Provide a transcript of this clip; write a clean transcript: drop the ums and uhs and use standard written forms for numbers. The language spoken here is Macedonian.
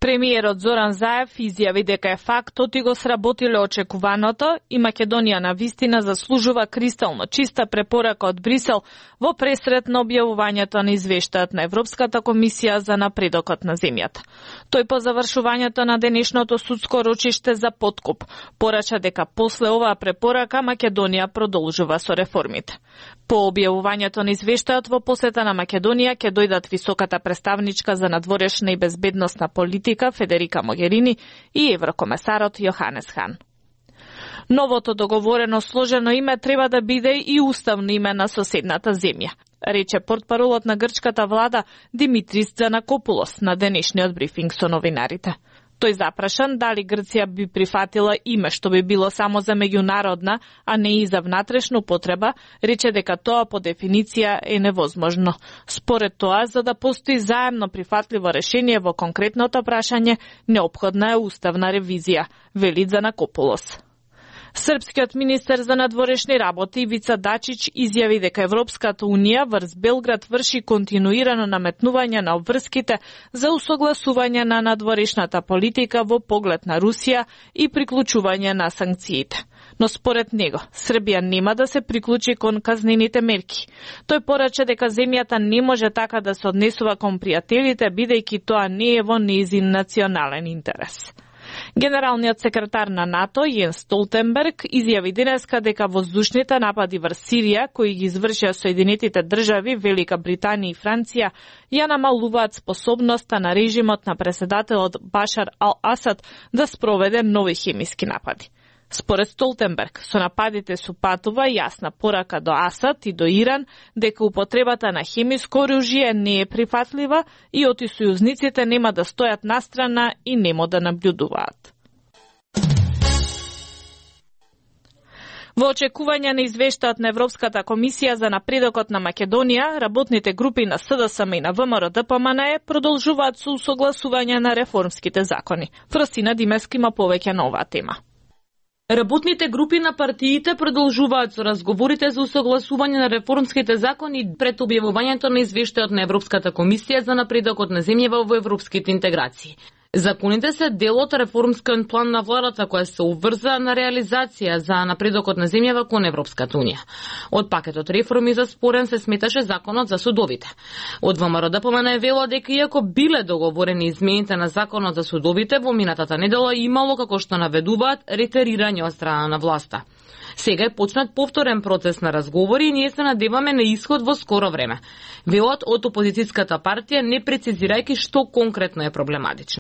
Премиерот Зоран Заев изјави дека е фактот и го сработиле очекуваното и Македонија на вистина заслужува кристално чиста препорака од Брисел во пресрет на објавувањето на извештајот на Европската комисија за напредокот на земјата. Тој по завршувањето на денешното судско рочиште за подкуп порача дека после оваа препорака Македонија продолжува со реформите. По објавувањето на извештајот во посета на Македонија ќе дојдат високата представничка за надворешна и безбедносна политика Федерика Могерини и еврокомесарот Јоханес Хан. Новото договорено сложено име треба да биде и уставно име на соседната земја, рече портпаролот на грчката влада Димитрис Tzanakopoulos на денешниот брифинг со новинарите. Тој запрашан дали Грција би прифатила име што би било само за меѓународна, а не и за внатрешна употреба, рече дека тоа по дефиниција е невозможно. Според тоа, за да постои заемно прифатливо решение во конкретното прашање, неопходна е уставна ревизија, вели Tzanakopoulos. Српскиот министер за надворешни работи Ивица Дачич изјави дека Европската унија врз Белград врши континуирано наметнување на обврските за усогласување на надворешната политика во поглед на Русија и приклучување на санкциите. Но според него, Србија нема да се приклучи кон казнените мерки. Тој порача дека земјата не може така да се однесува кон пријателите, бидејќи тоа не е во нејзин национален интерес. Генералниот секретар на НАТО Јенс Столтенберг изјави денеска дека воздушните напади врз Сирија, кои ги извршија Соединетите држави, Велика Британија и Франција, ја намалуваат способноста на режимот на преседателот Башар ал-Асад да спроведе нови хемиски напади. Според Столтенберг, со нападите се патува јасна порака до Асад и до Иран дека употребата на хемиско оружје не е прифатлива и оти сојузниците нема да стојат настрана и нема да наблюдуваат. Во очекување на извештајот на Европската комисија за напредокот на Македонија, работните групи на СДСМ и на ВМРО-ДПМНЕ продолжуваат со усогласување на реформските закони. Фростина Димески има повеќе на оваа тема. Работните групи на партиите продолжуваат со разговорите за усогласување на реформските закони пред објавувањето на извештајот на Европската комисија за напредокот на земјава во европските интеграции. Законите се дел од реформскиот план на владата која се обврза на реализација за напредокот на земјава кон Европската унија. Од пакетот реформи за спорен се сметаше законот за судовите. Од ВМРО-ДПМНЕ вело дека иако биле договорени измените на законот за судовите, во минатата недела имало, како што наведуваат, ретерирање од страна на власта. Сега е почнат повторен процес на разговори и ние се надеваме на исход во скоро време. Велат од опозицијската партија, не прецизирајќи што конкретно е проблематично.